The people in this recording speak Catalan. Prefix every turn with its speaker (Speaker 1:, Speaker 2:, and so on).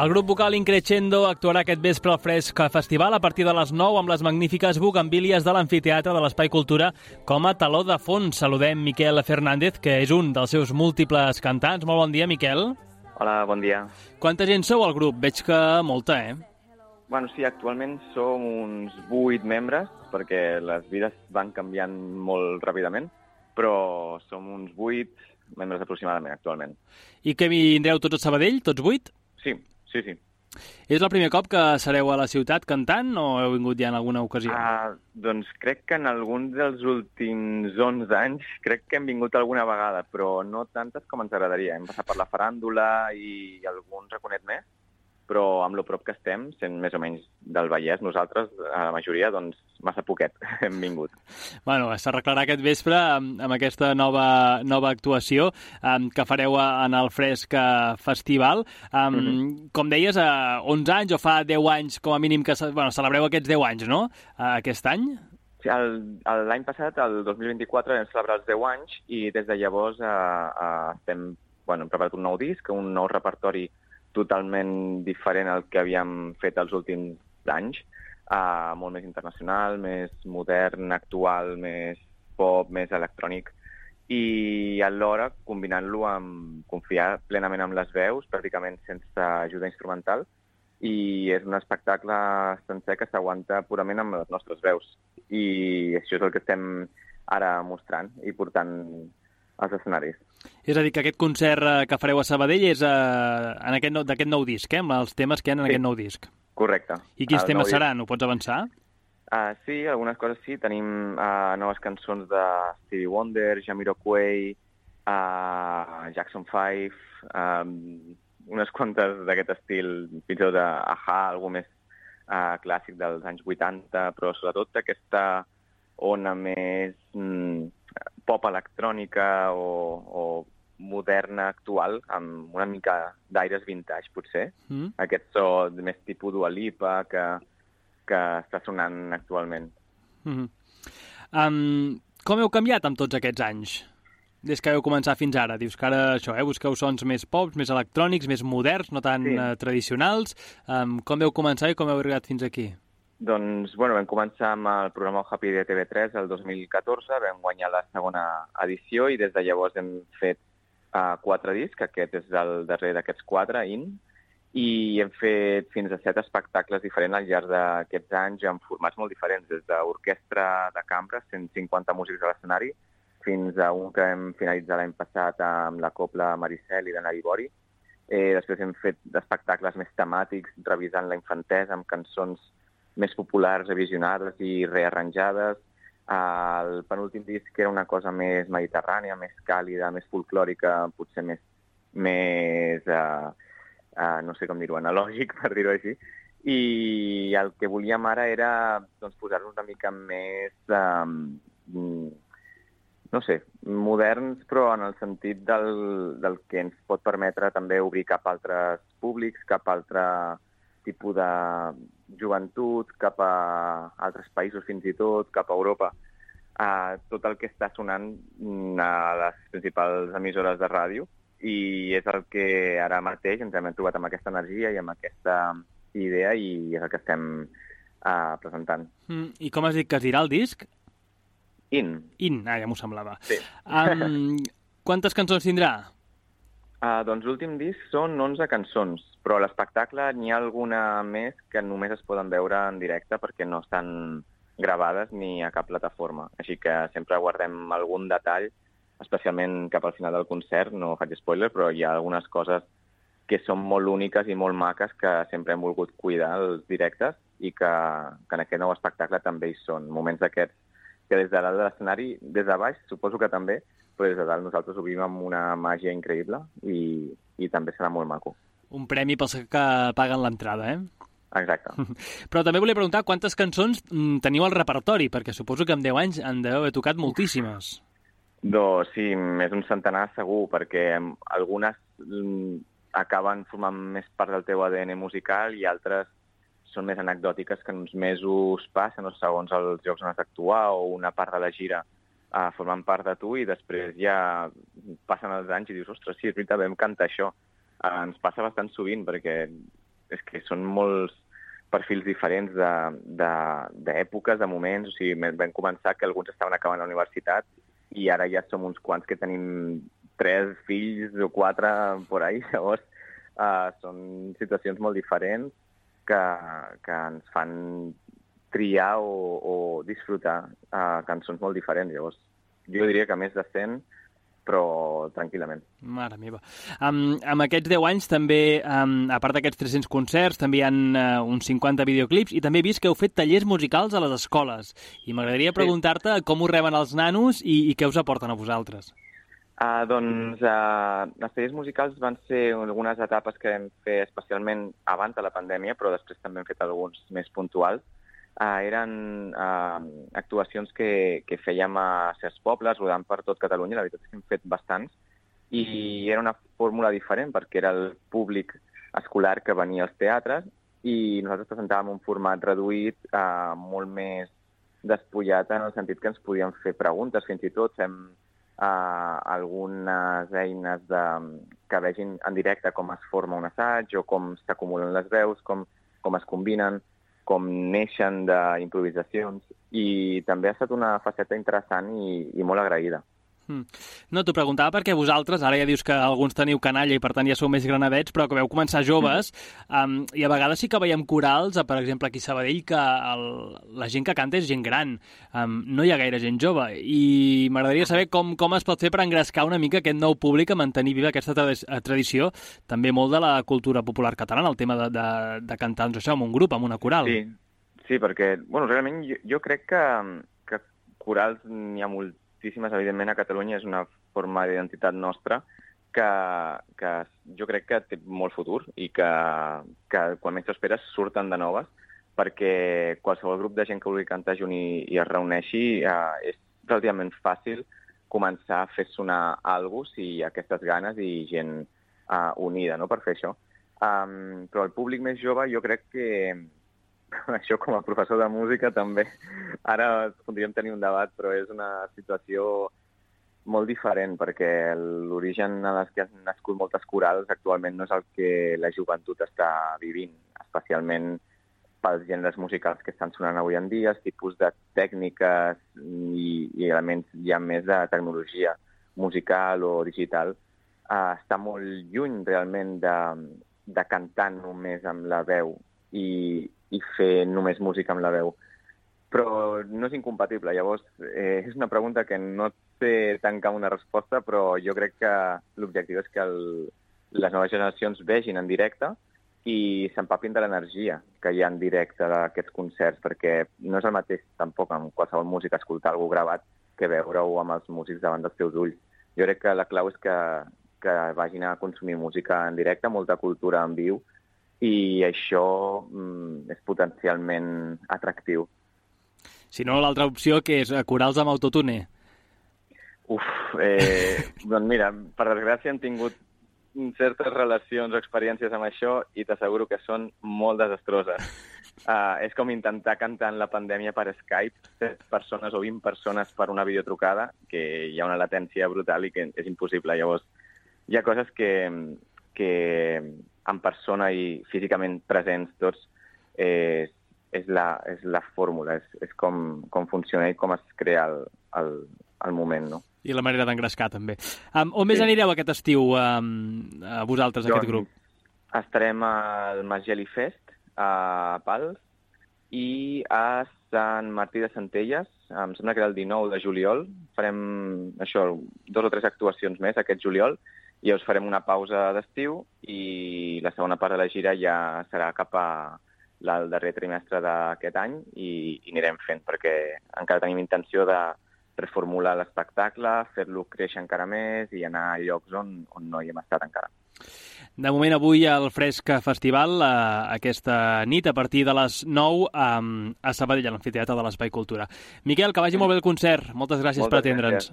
Speaker 1: El grup vocal Increscendo actuarà aquest vespre al Fresc Festival a partir de les 9 amb les magnífiques bugambilles de l'Amfiteatre de l'Espai Cultura com a taló de fons. Saludem Miquel Fernández, que és un dels seus múltiples cantants. Molt bon dia, Miquel.
Speaker 2: Hola, bon dia.
Speaker 1: Quanta gent sou al grup? Veig que molta,
Speaker 2: Bueno, sí, actualment som uns 8 membres, perquè les vides van canviant molt ràpidament, però som uns 8 membres aproximadament actualment.
Speaker 1: I que vindreu tots a Sabadell, tots 8?
Speaker 2: Sí.
Speaker 1: És el primer cop que sereu a la ciutat cantant o heu vingut ja en alguna ocasió?
Speaker 2: Doncs crec que en alguns dels últims 11 anys crec que hem vingut alguna vegada, però no tantes com ens agradaria. Hem passat per la faràndula i algun raconet més, però amb lo prop que estem, sent més o menys del Vallès, nosaltres, a la majoria, doncs massa poquet hem vingut.
Speaker 1: Bueno, s'arreglarà aquest vespre amb aquesta nova actuació que fareu en el Fresc Festival. Com deies, 11 anys o fa 10 anys com a mínim que celebreu aquests 10 anys, no? Aquest any?
Speaker 2: Sí, l'any passat, el 2024, vam celebrar els 10 anys i des de llavors hem preparat un nou disc, un nou repertori totalment diferent al que havíem fet els últims anys, molt més internacional, més modern, actual, més pop, més electrònic, i alhora combinant-lo amb confiar plenament en les veus, pràcticament sense ajuda instrumental, i és un espectacle sencer que s'aguanta purament amb les nostres veus. I això és el que estem ara mostrant i portant als escenaris.
Speaker 1: És a dir, que aquest concert que fareu a Sabadell és d'aquest nou disc, amb els temes que hi ha en aquest nou disc.
Speaker 2: Correcte.
Speaker 1: I quins temes seran? Ho pots avançar?
Speaker 2: Sí, algunes coses sí. Tenim noves cançons de Stevie Wonder, Jamiroquai, Jackson 5, unes quantes d'aquest estil, fins i tot d'A-ha, algú més clàssic dels anys 80, però sobretot aquesta ona més pop electrònica o moderna, actual, amb una mica d'aires vintage, potser. Aquest so més tipus Dua Lipa que està sonant actualment.
Speaker 1: Com heu canviat amb tots aquests anys? Des que heu començat fins ara. Dius que ara això, busqueu sons més pops, més electrònics, més moderns, no tan tradicionals. Com heu començat i com heu arribat fins aquí?
Speaker 2: Doncs, vam començar amb el programa Happy de TV3 el 2014, vam guanyar la segona edició i des de llavors hem fet 4 discs, aquest és el darrer d'aquests 4, i hem fet fins a 7 espectacles diferents al llarg d'aquests anys amb formats molt diferents, des d'orquestra de cambra, 150 músics a l'escenari, fins a un que hem finalitzat l'any passat amb la Copla Maricel i d'Anna Ibori. Després hem fet espectacles més temàtics, revisant la infantesa amb cançons més populars, revisionades i rearranjades. El penúltim disc era una cosa més mediterrània, més càlida, més folclòrica, potser més no sé com dir-ho, analògic, per dir-ho així. I el que volíem ara era posar-nos una mica més, moderns, però en el sentit del que ens pot permetre també obrir cap a altres públics, cap a altre tipus de joventut, cap a altres països fins i tot, cap a Europa. Tot el que està sonant a les principals emissores de ràdio i és el que ara mateix ens hem trobat amb aquesta energia i amb aquesta idea i és el que estem presentant.
Speaker 1: I com has dit que es dirà el disc?
Speaker 2: In,
Speaker 1: ja m'ho semblava.
Speaker 2: Sí.
Speaker 1: Quantes cançons tindrà?
Speaker 2: Doncs l'últim disc són 11 cançons, però a l'espectacle n'hi ha alguna més que només es poden veure en directe perquè no estan gravades ni a cap plataforma. Així que sempre guardem algun detall, especialment cap al final del concert, no faig spoiler, però hi ha algunes coses que són molt úniques i molt maques que sempre hem volgut cuidar als directes i que en aquest nou espectacle també hi són. Moments d'aquests que des de dalt de l'escenari, des de baix, suposo que també, però des de dalt nosaltres ho vivim amb una màgia increïble i també serà molt maco.
Speaker 1: Un premi pels que paguen l'entrada,
Speaker 2: Exacte.
Speaker 1: Però també volia preguntar quantes cançons teniu al repertori, perquè suposo que en 10 anys en deveu haver tocat moltíssimes.
Speaker 2: Doncs sí, més un centenar segur, perquè algunes acaben formant més part del teu ADN musical i altres són més anecdòtiques que en uns mesos passen, o segons els llocs on has d'actuar o una part de la gira formant part de tu i després ja passen els anys i dius, ostres, sí, és veritat, vam cantar això. Ens passa bastant sovint perquè és que són molts perfils diferents d'èpoques, de moments. O sigui, vam començar que alguns estaven acabant la universitat i ara ja som uns quants que tenim 3 fills o 4 por ahí. Llavors, són situacions molt diferents que ens fan triar o disfrutar cançons molt diferents. Llavors, jo diria que més de 100, però tranquil·lament.
Speaker 1: Mare meva. Amb aquests 10 anys també, a part d'aquests 300 concerts, també hi ha uns 50 videoclips i també he vist que heu fet tallers musicals a les escoles. I m'agradaria preguntar-te com ho reben els nanos i què us aporten a vosaltres.
Speaker 2: Doncs els tallers musicals van ser algunes etapes que vam fer especialment abans de la pandèmia, però després també hem fet alguns més puntuals. Eren actuacions que fèiem a certs pobles, rodant per tot Catalunya. La veritat és que hem fet bastants. I era una fórmula diferent perquè era el públic escolar que venia als teatres i nosaltres presentàvem un format reduït, molt més despullat en el sentit que ens podíem fer preguntes. Fins i tot fem algunes eines que vegin en directe com es forma un assaig o com s'acumulen les veus, com es combinen, com neixen d'improvisacions, i també ha estat una faceta interessant i molt agraïda.
Speaker 1: No, t'ho preguntava perquè vosaltres, ara ja dius que alguns teniu canalla i per tant ja sou més granadets, però que veu començar joves, i a vegades sí que veiem corals, per exemple aquí a Sabadell, que la gent que canta és gent gran, no hi ha gaire gent jove, i m'agradaria saber com es pot fer per engrescar una mica aquest nou públic a mantenir viva aquesta tradició, també molt de la cultura popular catalana, el tema de cantar, doncs això, amb un grup, amb una coral.
Speaker 2: Sí, perquè, realment jo crec que corals n'hi ha moltíssimes, evidentment a Catalunya és una forma d'identitat nostra que jo crec que té molt futur i que quan menys t'esperes surten de noves, perquè qualsevol grup de gent que vulgui cantar junt i es reuneixi és relativament fàcil començar a fer sonar alguna cosa si hi ha aquestes ganes i gent unida, no?, per fer això. Però el públic més jove jo crec que això com a professor de música també. Ara podríem tenir un debat, però és una situació molt diferent, perquè l'origen en les que han nascut moltes corals actualment no és el que la joventut està vivint, especialment pels gèneres musicals que estan sonant avui en dia, els tipus de tècniques i elements ja més de tecnologia musical o digital. Està molt lluny realment de cantar només amb la veu i fer només música amb la veu. Però no és incompatible. Llavors, és una pregunta que no té tancar una resposta, però jo crec que l'objectiu és que les noves generacions vegin en directe i s'empapin de l'energia que hi ha en directe d'aquests concerts, perquè no és el mateix tampoc amb qualsevol música escoltar algú gravat que veure-ho amb els músics davant dels teus ulls. Jo crec que la clau és que vagin a consumir música en directe, molta cultura en viu, i això és potencialment atractiu.
Speaker 1: Si no, l'altra opció, que és corals amb autotune.
Speaker 2: Doncs mira, per desgràcia hem tingut certes relacions o experiències amb això i t'asseguro que són molt desastroses. És com intentar cantar en la pandèmia per Skype, 7 persones o 20 persones per una videotrucada, que hi ha una latència brutal i que és impossible. Llavors, hi ha coses que en persona i físicament presents tots és la fórmula, és com funciona i com es crea el moment, no?
Speaker 1: I la manera d'engrescar, també. On més anireu aquest estiu, vosaltres, aquest grup?
Speaker 2: Estarem al Masgeli Fest, a Pals, i a Sant Martí de Centelles, em sembla que era el 19 de juliol. Farem, 2 o 3 actuacions més aquest juliol, i llavors farem una pausa d'estiu i la segona part de la gira ja serà cap al darrer trimestre d'aquest any i anirem fent, perquè encara tenim intenció de reformular l'espectacle, fer-lo créixer encara més i anar a llocs on no hi hem estat encara.
Speaker 1: De moment, avui al Fresc Festival, aquesta nit, a partir de les 9, a Sabadell, a l'Amfiteatre de l'Espai Cultura. Miquel, que vagi molt bé el concert. Moltes gràcies per atendre'ns.